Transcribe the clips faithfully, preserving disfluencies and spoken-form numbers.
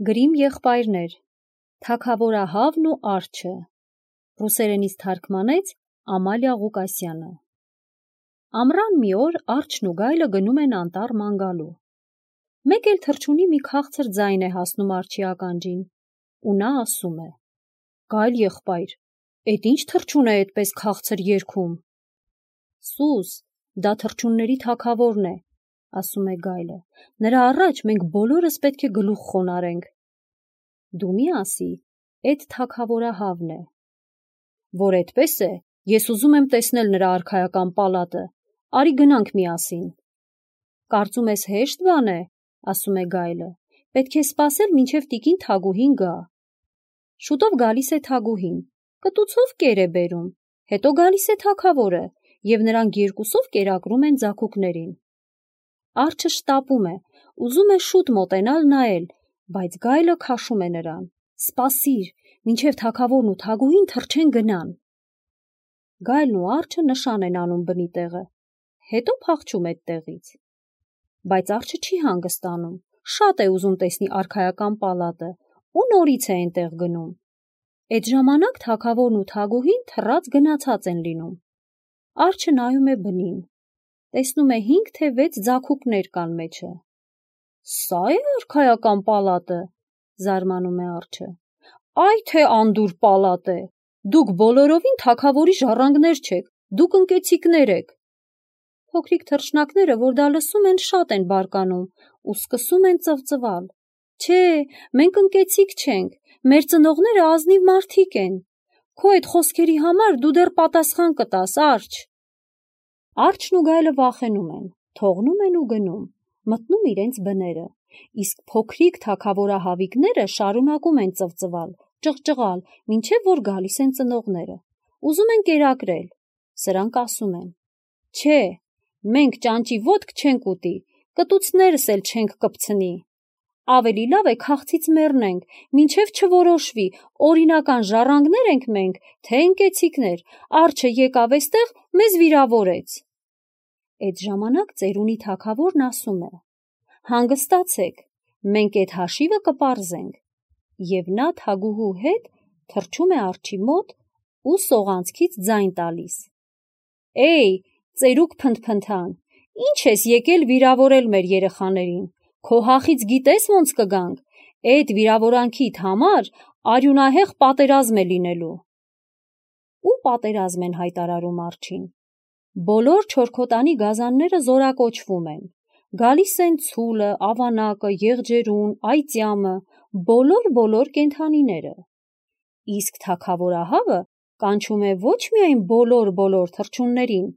Գրիմ եղբայրներ, Թագավորահավն ու արջը, ռուսերենից թարգմանեց Ամալիա Ղուկասյանը։ Ամռան մի օր արջն ու գայլը գնում են անտառ ման գալու։ Մեկ էլ թռչունի մի քաղցր ձայն է հասնում արջի ականջին, ու նա ասում է. «Գայլ եղբայր, էդ ինչ թռչուն է էդպես քաղցր երգում»։ «Սուս, դա թռչունների թագավորն է», ասում է գայլը, «նրա առաջ մենք բոլորս պետք է գլուխ խոնարհենք»։ Դու մի ասի, էդ թագավորահավն է։ Որ այդպես է, ես ուզում եմ տեսնել նրա արքայական պալատը, արի գնանք միասին։ Կարծում ես հեշտ բան է, ասում է գայլը, պետք է սպասել, մինչև տիկին Թագուհին գա։ Շուտով գալիս է Թագուհին, կտուցով կեր է բերում, հետո գալիս է թագավորը, և նրանք երկուսով կերակրում են ձագուկներին։ Արջը շտապում է, ուզում է շուտ մոտենալ նայել, բայց գայլը քաշում է նրան. «Սպասիր, մինչև թագավորն ու Թագուհին թռչեն գնան»։ Գայլն ու արջը նշան են անում բնի տեղը, հետո փախչում էդտեղից։ Բայց արջը չի հանգստանում, շատ է ուզում տեսնի արքայական պալատը ու նորից է այնտեղ գնում։ Էդ ժամանակ թագավորն ու Թագուհին թռած գնացած են լինում։ Արջը նայում է բնին, տեսնում է հինգ թե վեց ձագուկներ կան մեջը։ «Սա՞ է արքայական պալատը», զարմանում է արջը։ «Այ թե անդուր պալատ է, դուք բոլորովին թագավորի ժառանգներ չեք, դուք ընկեցիքներ եք»։ Փոքրիկ թռչնակները, որ դա լսում են, շատ են բարկանում ու սկսում են ծվծվալ. «Չէ, մենք ընկեցիկ չենք, մեր ծնողները ազնիվ մարդիկ են, քո այդ խոսքերի համար դու դեռ պատասխան կտաս, արջ»։ Արջն ու գայլը վախենում են, թողնում են ու գնում, մտնում իրենց բները, իսկ փոքրիկ թագավորահավիկները շարունակում են ծվծվալ, ճղճղալ, մինչև որ գալիս են ծնողները, ուզում են կերակրել։ Սրանք ասում են. «Չէ, մենք ճանճի ոտք չենք ուտի, կտուցներս էլ չենք կպցնի։ Ավելի լավ է քաղցից մեռնենք, մինչև չորոշվի, օրինական ժառանգներ ենք մենք, թե ընկեցիքներ, արջը եկավ էստեղ, մեզ վիրավորեց»։ Էդ ժամանակ ծերունի թագավորն ասում է. «Հանգստացեք, մենք էդ հաշիվը կպարզենք», և նա Թագուհու հետ թռչում է արջի մոտ ու սողանցքից ձայն տալիս. «Էյ, ծերուկ փնթփնթան, ի՞նչ ես եկել վիրավորել մեր երեխաներին, քո հախից գիտես ոնց կգանք, էդ վիրավորանքիդ համար արյունահեղ պատերազմ է լինելու»։ Ու պատերազմ են հայտարարում արջին։ Բոլոր չորքոտանի գազանները զորակոչվում են, գալիս են ցուլը, ավանակը, եղջերուն, այծյամը, բոլոր-բոլոր կենդանիները։ Իսկ թագավորահավը կանչում է ոչ միայն բոլոր-բոլոր թռչուններին,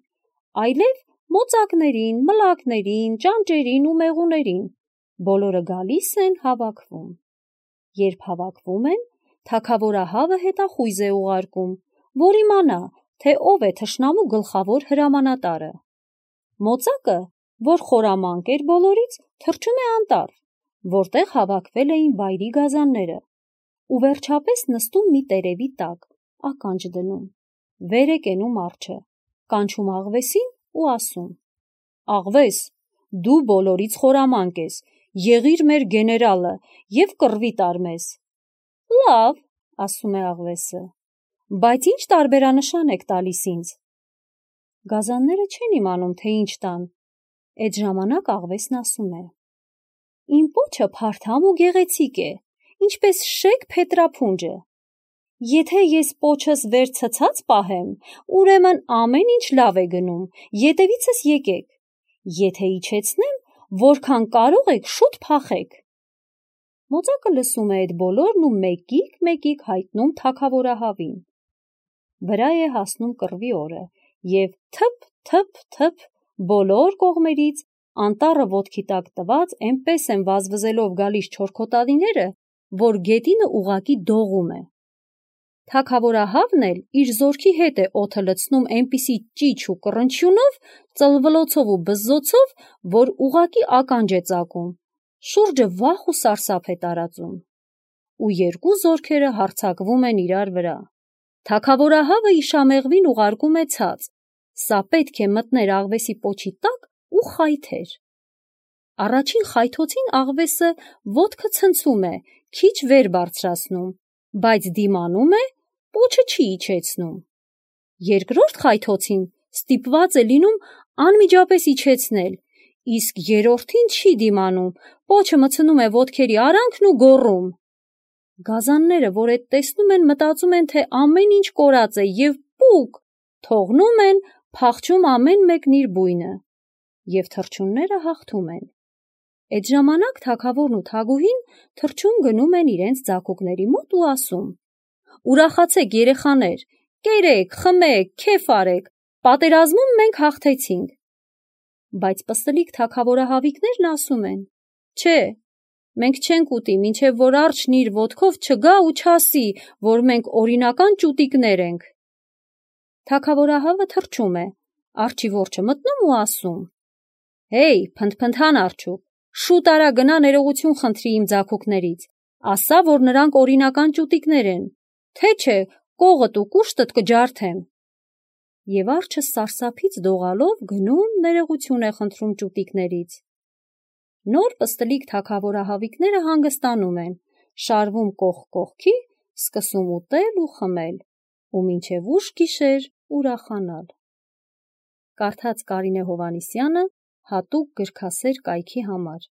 այլև մոծակներին, մլակներին, ճանճերին ու մեղուներին, բոլորը գալիս են հավաքվում։ Երբ հավաքվում են, թագավորահավը հետախույզ է ուղարկում, որ իմանա, թե ով է թշնամու գլխավոր հրամանատարը։ Մոծակը, որ խորամանկ էր բոլորից, թռչում է անտառ, որտեղ հավաքվել էին վայրի գազանները, ու վերջապես նստում մի տերևի տակ, ականջ դնում։ Վեր է կենում արջը, կանչում աղվեսին ու ասում. «Աղվես, դու բոլորից խորամանկ ես, եղիր մեր գեներալը և կռվի տար մեզ»։ «Լավ», ասում է աղվեսը, «բայց ինչ տարբերանշան եք տալիս ինձ»։ Գազանները չեն իմանում, թե ինչ տան։ Էդ ժամանակ աղվեսն ասում է. «Իմ պոչը փարթամ ու գեղեցիկ է, ինչպես շեկ փետրափունջը։ Եթե ես պոչս վեր ցցած պահեմ, ուրեմն ամեն ինչ լավ է գնում, ետևիցս եկեք, եթե իջեցնեմ, որքան կարող եք շուտ փախեք»։ Մոծակը լսում է էդ բոլորն ու մեկիկ-մեկիկ հայտնում թագավորահավին։ Վրա է հասնում կռվի օրը, և թփ-թփ-թփ բոլոր կողմերից անտառը ոտքի տակ տված էնպես են վազվզելով գալիս չորքոտանիները, որ գետինը ուղղակի դողում է։ Թագավորահավն էլ իր զորքի հետ է օդը լցնում էնպիսի ճիչ ու կռնչյունով, ծլվլոցով ու բզզոցով, որ ուղղակի ականջ է ծակում, շուրջը վախ ու սարսափ է տարածում։ Ու երկու զորքերը հարձակվում են իրար վրա։ Թագավորահավը իշամեղվին ուղարկում է ցած, սա պետք է մտներ աղվեսի պոչի տակ ու խայթեր։ Առաջին խայթոցին աղվեսը ոտքը ցնցում է, քիչ վեր բարձրացնում, բայց դիմանում է, պոչը չի իջեցնում։ Երկրորդ խայթոցին ստիպված է լինում անմիջապես իջեցնել, իսկ երրորդին չի դիմանում, պոչը մտցնում է ոտքերի արանքն ու գոռում։ Գազանները, որ այդ տեսնում են, մտածում են, թե ամեն ինչ կորած է և պուկ, թողնում են, փախչում ամեն մեկն իր բույնը, և թռչունները հաղթում են։ Այդ ժամանակ թագավորն ու թագուհին թռչուն գնում են իրենց ձագողների մոտ ու ասում. «Ուրախացեք, երեխաներ, կերեք, խմեք, քեֆ արեք, պատերազմում մենք հաղթեցինք»։ Բայց պստլիկ թագավորահավիկներն ասում են. «Չէ, մենք չենք ուտի, մինչև որ արջն իր ոտքով չգա ու չասի, որ մենք օրինական ճուտիկներ ենք»։ Թագավորահավը թռչում է, արջի որջը մտնում ու ասում. «Հեյ, փնթփնթան արջուկ, շուտ արա գնա ներողություն խնդրի իմ ձագողներից, ասա, որ նրանք օրինական ճուտիկներ են, թե չէ կողդ ու կուշտդ կջարդեմ»։ Եվ արջը սարսափից դողալով գնում ներողություն է խնդրում ճուտիկներից։ Նոր պստլիկ թագավորահավիկները հանգստանում են, շարվում կողք կողքի, սկսում ուտել ու խմել ու մինչև ուշ գիշեր ուրախանալ։ Կարդաց Կարինե Հովհաննիսյանը հատուկ գրքասեր կայքի համար։